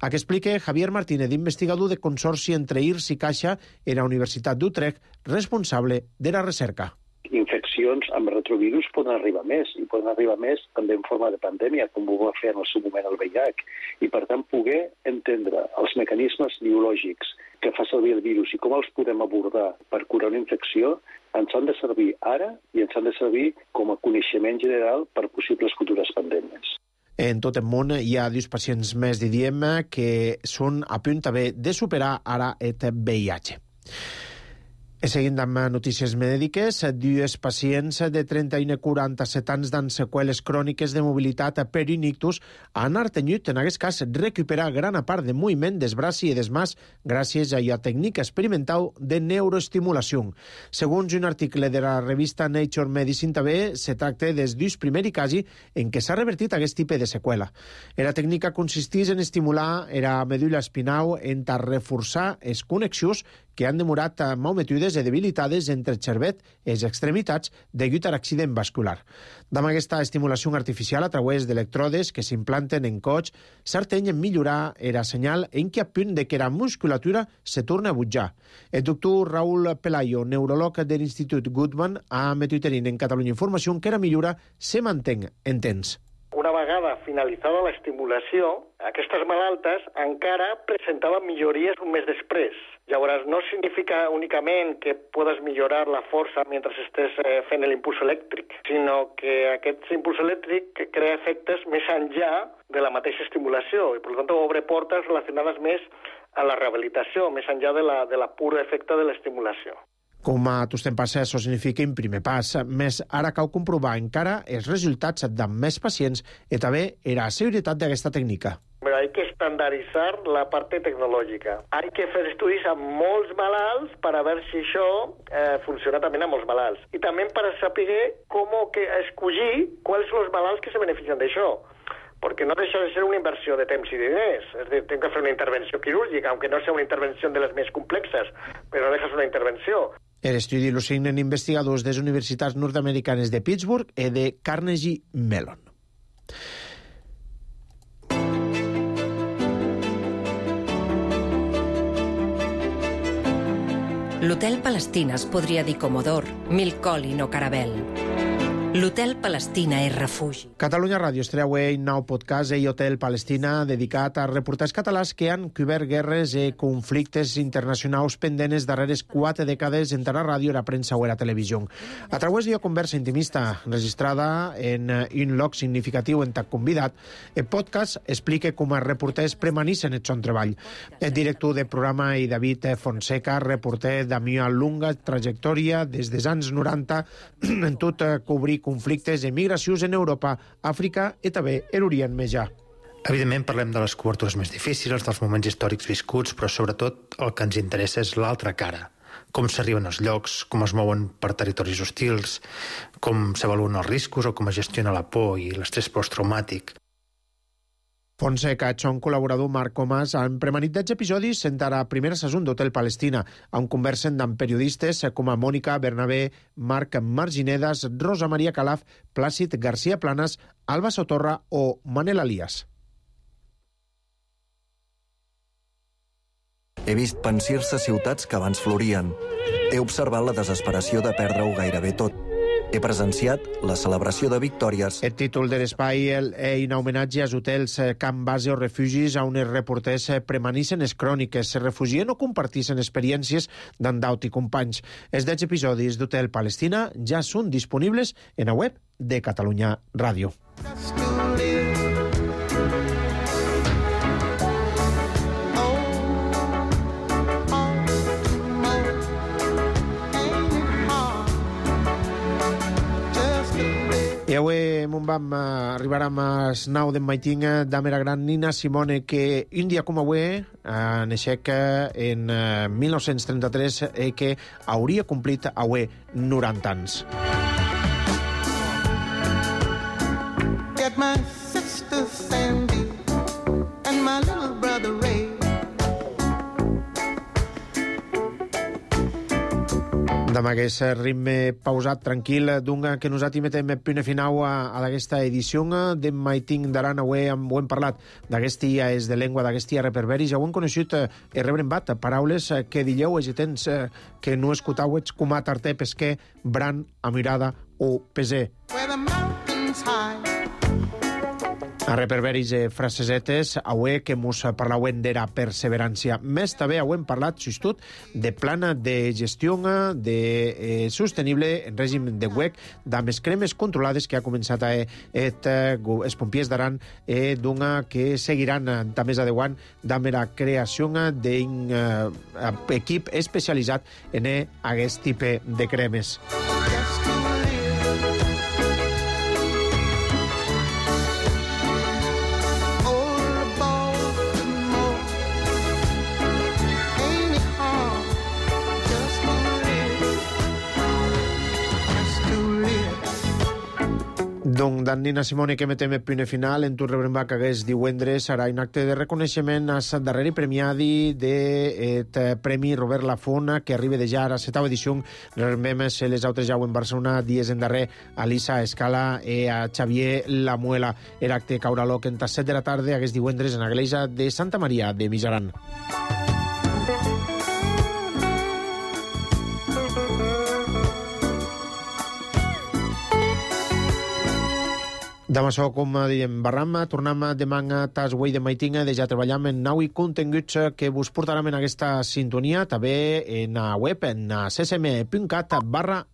A que explica Javier Martínez, investigador de Consorci entre IRS i Caixa en la Universitat d'Utrecht, responsable de la recerca. Infeccions amb retrovirus poden arribar més, i poden arribar més també en forma de pandèmia, com ho va fer en el seu moment el VIH, i per tant poder entendre els mecanismes biològics que fa servir el virus i com els podem abordar per curar una infecció, ens han de servir ara i ens han de servir com a coneixement general per possibles futures pandèmies. En tot el món hi ha 2 pacients més, diríem, que són a punt també de superar ara el VIH. Seguint amb notícies mèdiques, 2 pacients de 31 i 47 anys amb seqüeles cròniques de mobilitat per un ictus han artenyut, en aquest cas, recuperar gran part de moviment dels braços i des mans gràcies a la tècnica experimental de neuroestimulació. Segons un article de la revista Nature Medicine, també se tracta dels 2 primers casos en què s'ha revertit aquest tipus de seqüela. La tècnica consisteix en estimular la medul·la espinal en reforçar les connexions que han demorat malmetudes i debilitades entre el cervet i les extremitats degut a l'accident vascular. Amb aquesta estimulació artificial a través d'electrodes que s'implanten en coix, s'arteny en millorar el senyal en què a punt de que la musculatura se torna a butjar. El doctor Raúl Pelayo, neuròleg de l'Institut Goodman, ha metuiterin en Catalunya Informació que la millora se manté en temps. Una vegada finalitzada l'estimulació, aquestes malaltes encara presentaven millories un mes després. Llavors, no significa únicament que podes millorar la força mentre estés fent l'impuls elèctric, sinó que aquest impuls elèctric crea efectes més enllà de la mateixa estimulació i, per tant, obre portes relacionades més a la rehabilitació, més enllà de la pura efecte de l'estimulació. Com a tot passa, això significa un primer pas, més ara cal comprovar encara els resultats de més pacients i també la seguretat d'aquesta tècnica. Pero hay que estandarizar la parte tecnológica. Hay que fer estudis amb molts malalts per a veure si això funciona també amb molts malalts. I també per a saber com escollir quals són els malalts que se beneficien d'això. Porque no deixa de ser una inversió de temps i diners. És dir, tengo que fer una intervenció quirúrgica, aunque no sea una intervenció de les més complexes, però no deja una intervenció. L'estudi lo signen investigadors de les universitats nord-americanes de Pittsburgh i de Carnegie Mellon. L'Hotel Palestina es podria dir Comodor, Milcolin o Caravelle. L'Hotel Palestina és refugi. Catalunya Ràdio estreu un nou podcast i Hotel Palestina dedicat a reporters catalans que han cobert guerres i conflictes internacionals pendents darreres 4 dècades entre la ràdio, la premsa o la televisió. A través d'una conversa intimista registrada en un lloc significatiu en tant convidat, el podcast explica com els reporters premanissen el son treball. El director del programa i David Fonseca, reporter d'una longa trajectòria des dels anys 90 en tot cobrir conflictes i migracions en Europa, Àfrica i també l'Orient Mitjà. Evidentment parlem de les cobertures més difícils, dels moments històrics viscuts, però sobretot el que ens interessa és l'altra cara. Com s'arriben als llocs, com es mouen per territoris hostils, com s'avaluen els riscos o com es gestiona la por i l'estrès posttraumàtic. Fonseca, son col·laborador Marc Comas, han premanit 10 episodis en la primera saison d'Hotel Palestina, on conversen amb periodistes com a Mònica Bernabé, Marc Marginedas, Rosa Maria Calaf, Plàcid García Planas, Alba Sotorra o Manel Alias. He vist pensir-se ciutats que abans florien. He observat la desesperació de perdre-ho gairebé tot. He presenciat la celebració de victòries. El títol de l'espai és un homenatge als hotels, camp base o refugis on els reporters premanissen les cròniques, se refugien o compartissin experiències d'en Daut i companys. Els 10 episodis d'Hotel Palestina ja són disponibles en la web de Catalunya Ràdio. I avui vam arribar amb el 9 d'en maiting d'Amera Gran Nina Simone, que un dia com avui naixec en 1933 i que hauria complit avui 90 anys. Get my sister Sandy and my little brother Ray. Amb aquest ritme pausat, tranquil, que nosaltres metem punt final a aquesta edició de Maiting d'Aran. Avui ho hem parlat d'aquest dia és de llengua, d'aquest dia reperberis. Ja ho hem coneixut i rebrem paraules que dieu els temps que no escoltau com a tarter, pesquer, bran, amirada o peser. A reperberis i frasesetes, avui que mos parlauen de la perseverància. Més també avui hem parlat, justut, de plana de gestió de sostenible en règim de WEC, d'amb les cremes controlades que ha començat els pompiers d'Aran, que seguiran també adeuant d'amb la creació d'un equip especialitzat en aquest tipus de cremes. Donc, dan Nina Simone que metem el punt final en tu rebrembar que hagués divendres serà un acte de reconeixement a la darrera premiadi del Premi Robert Lafona que arriba de ja a la 7ª edició. Rebrembem les altres jau en Barcelona dies en darrer a Lisa Escala i a Xavier Lamuela. El acte caurà l'oc en 7 de la tarda hagués divendres en la Iglesia de Santa Maria de Mijaran. Demà sou, com diem, barram, tornem demà a tas güey de maitinga de ja treballam en nau i continguts que vos portarem en aquesta sintonia, també en la web, en csm.cat/Aran.